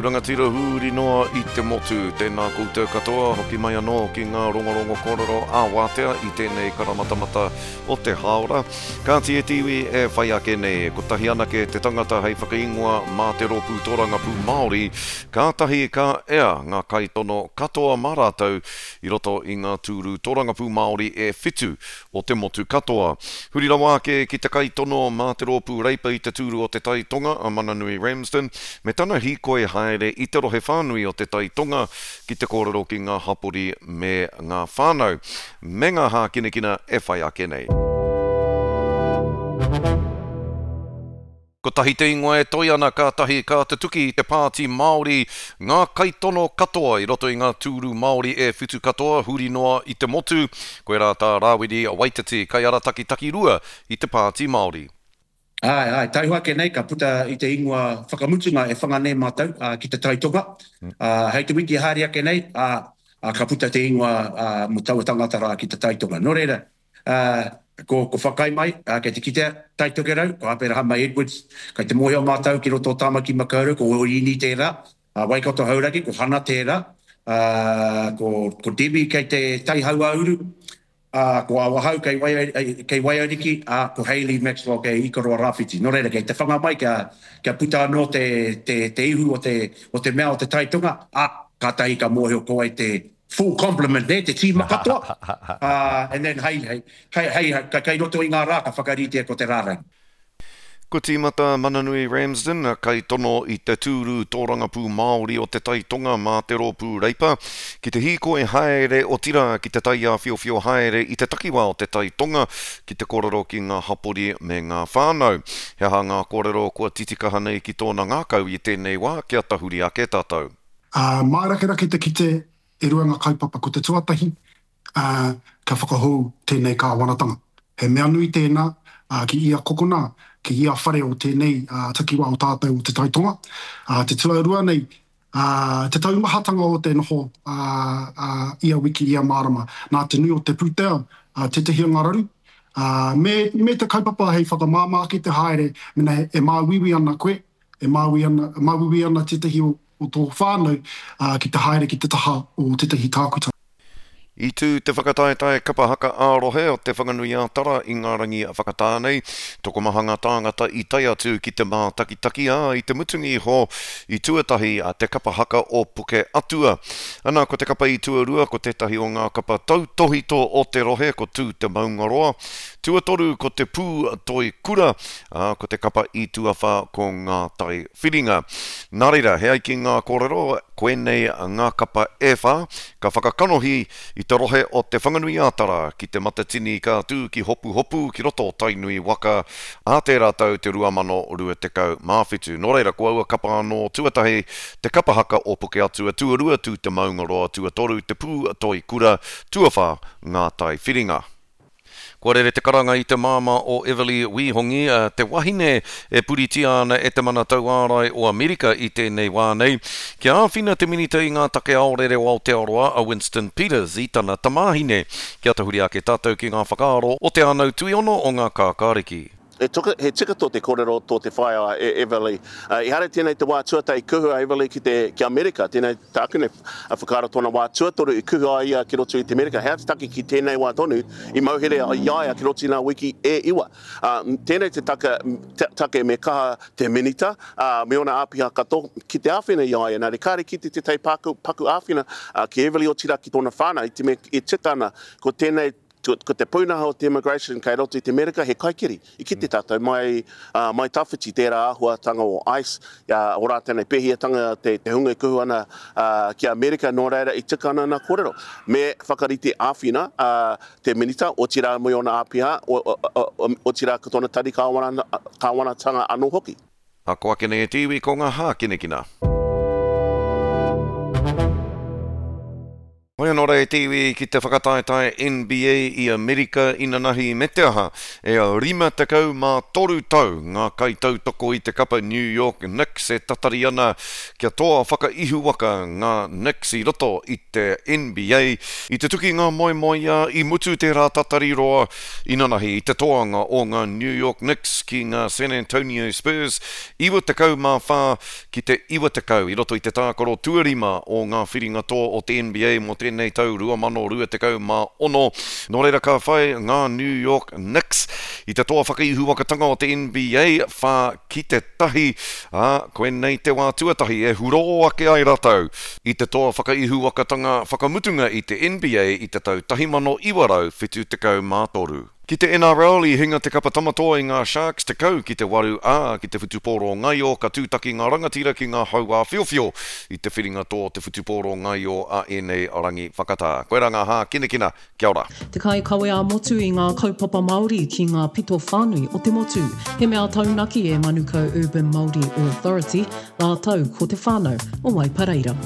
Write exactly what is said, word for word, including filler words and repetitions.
rangatira huri noa i te motu. Tēnā koutou katoa, hoki mai anō ki ngā rongorongo kōrero ā-wātea i tēnei karamatamata o te hāora. Kāti e te iwi e whai ake nei, kotahi anake te tangata hei whakaingoa mā te rōpū tōrangapū Māori, kātahi ka ea ngā kaitono katoa mā rātou i roto i ngā tūru tōrangapū Māori e whitu o te motu katoa. Huri rawa ake ki te kaitono mā te rōpū Reipa i te tūru o Te Tai Tonga a Mananui Ramsden, me tana hīkoi haere i te rohe whānui o Te Tai Tonga ki te kōrero ki ngā hapori me ngā whānau, me ngā hākinakina e whai ake nei. Kotahi te ingoa e toi ana kātahi ka tutuki i te Pāti Māori ngā kaitono katoa i roto i ngā tūru Māori e whitu katoa huri noa i te motu. Koirā tā Rāwiri Waititi, kaiarataki takirua i te Pāti Māori. Āe, āe, taihoa ake nei ka puta i te ingoa whakamutunga e whanga nei mātou ki Te Tai Tonga. Hei te wiki haere ake nei, ka puta te ingoa mō taua tangata rā ki Te Tai Tonga. Nō reira, ko Whakai mai, kei te kitea, Tai Tokerau, ko Aperahama Edwards, kei te mōhio mātou ki roto o Tāmaki Makaurau, ko Orini tērā, Waikato Hauraki, ko Hana tērā, ko Debbie kei te Tai Hauāuru, Ā, ko Awahou kei kei Waiariki, ā, ko Hayley Maxwell kei Ikaroa Rāwhiti. Nō reira, kei te whanga mai kia, kia puta anō te, te, te ihu o te, o te mea o te Tai Tonga, ā, kātahi ka mōhio ko wai te full complement, nē, te tīma katoa, ā, and then hei, hei, hei, hei, kei roto i ngā rā ka whakaritea ko te rārangi. Kua tīmata Mananui Ramsden, kaitono i te tūru tōrangapū Māori o Te Tai Tonga mā te Rōpū Reipa, ki te hīkoi haere, otirā ki te taiāwhiowhio haere i te takiwā o Te Tai Tonga ki te kōrero ki ngā hapori me ngā whānau. He aha ngā kōrero kua titikaha nei ki tōna ngākau i tēnei wā kia tahuri ake tātou? Ā, mārakerake te kite e rua ngā kaupapa, ko te tuatahi, ā, kia whakahou tēnei kāwanatanga. He mea nui tēnā, ā, ki ia kokona, ki ia whare o tēnei takiwā o tātou o Te Tai Tonga. Ā, te tuarua nei, ā, te taumahatanga o te noho, ā, ā, ia wiki, ia marama, nā te nui o te pūtea, ā, tētehi o ngā raru, ā, me, me te kaupapa hei whakamāmā ake te haere mēnā e māuiui ana koe, e māui ana, māuiui ana tētehi o, o tō whānau, ā, ki te haere ki te taha o tētehi tākuta. I tū te whakataetae kapa haka ā-rohe o Te Whanganui-ā-Tara i ngā rangi whakatā nei. Tokomaha ngā tāngata i tae atu ki te mātakitaki, ā, i te mutunga iho i tuatahi te kapa haka o Puke Atua. Ana, ko te kapa i tuarua ko tētahi o ngā kapa tautōhito o te rohe, ko Tū Te Maungaroa. Tuatoru ko Te Pū Toi Kura, ā, ko te kapa i tuawhā ko Ngā Tai Whiringa. Nā reira, he ai ki ngā kōrero, koinei ngā kapa e whā ka whakakanohi i te rohe o Te Whanganui-ā-Tara ki Te Matatini ka tū ki Hopuhopu ki roto o Tainui waka ā tērā tau te rua mano rua tekau mā whitu. Nō reira, ko aua kapa anō, tuatahi, te kapa haka o Pukeatua, tuarua, Tū Te Maungaroa, tuatoru, Te Pū Toi Kura, tuawhā, Ngā Tai Whiringa. Kua rere te karanga i te māmā o Everly Wihongi, te wahine e puritia ana e te mana tauārai o Amerika i tēnei wā nei, kia āwhina te Minita i ngā take aorere o Aotearoa a Winston Peters i tana tamāhine. Kia tahuri ake tātou ki ngā whakaaro o Te Anau Tuiono o ngā Kākāriki. He tika, he tika tō te kōrero tō te whaea e Everly. Uh, ehara tēnei te wā tuatahi i kuhu a Everly ki te, ki Amerika, tēnei tāku nei whakaaro tōna wā tuatoru i kuhu ai ia ki roto i te Amerika. He aha te take ki tēnei wā tonu i mauhere i a ia ki roto i ngā wiki e iwa. Uh, tēnei te taka, te, take me kaha te minita, uh, me ōna āpiha katoa ki te āwhina i a ia. Nā reira, kāre kite tētahi paku, paku āwhina uh, ki Everly otirā ki tōna whānau i te mea e tika ana ko tēnei Ko te pūnaha o te immigration kei roto i te Amerika he kaikiri. I kite tātou mai, mai tawhiti tērā āhuatanga o ice, o rātou nei pēhiatanga te, te hunga e kuhu ana ki Amerika, nō reira i tika ana ngā kōrero. Me whakarite āwhina te Minita, otirā me ōna āpiha, otirā ko tōna tari kāwanatanga anō hoki. Ako ake nei e te iwi ko ngā hākinakina. Hoi anō rā e te iwi ki te whakataetae N B A i Amerika inanahi me te aha, e rima tekau mā toru tau ngā kaitautoko i te kapa New York Knicks e tatari ana kia toa whakaihuwaka ngā Knicks i roto i te N B A. I te tuki ngā moemoeā, i mutu tērā tatari roa inanahi i te toanga o ngā New York Knicks ki ngā San Antonio Spurs iwa tekau mā whā ki te iwa tekau i roto i te tākaro tuarima o ngā whiringa toa o te N B A mō tēnei tau rua mano rua tekau mā ono. Nō reira ka whai ngā New York Knicks i te toa whakaihuwakatanga o te N B A whā ki te tahi, ā, koinei te wā tuatahi e hurō ake ai rātou i te toa whakaihuwakatanga whakamutunga i te N B A i te tau tahi mano iwa rau whitu tekau mā toru. Ki te N R L i hinga te kapa Tamatoa i ngā Sharks tekau ki te waru, ā, ki te whutupōro ngaio ka tūtaki ngā rangatira ki ngā hauāwhiowhio i te whiringa toa o te whutupōro ngaio a ēnei rangi whakatā. Koirā ngā hākinakina, kia ora. Te kaikawe ā-motu i ngā kaupapa Māori ki ngā pito whānui o te motu. He mea taunaki e Manukau Urban Māori Authority, rātou ko te whānau o Waipareira.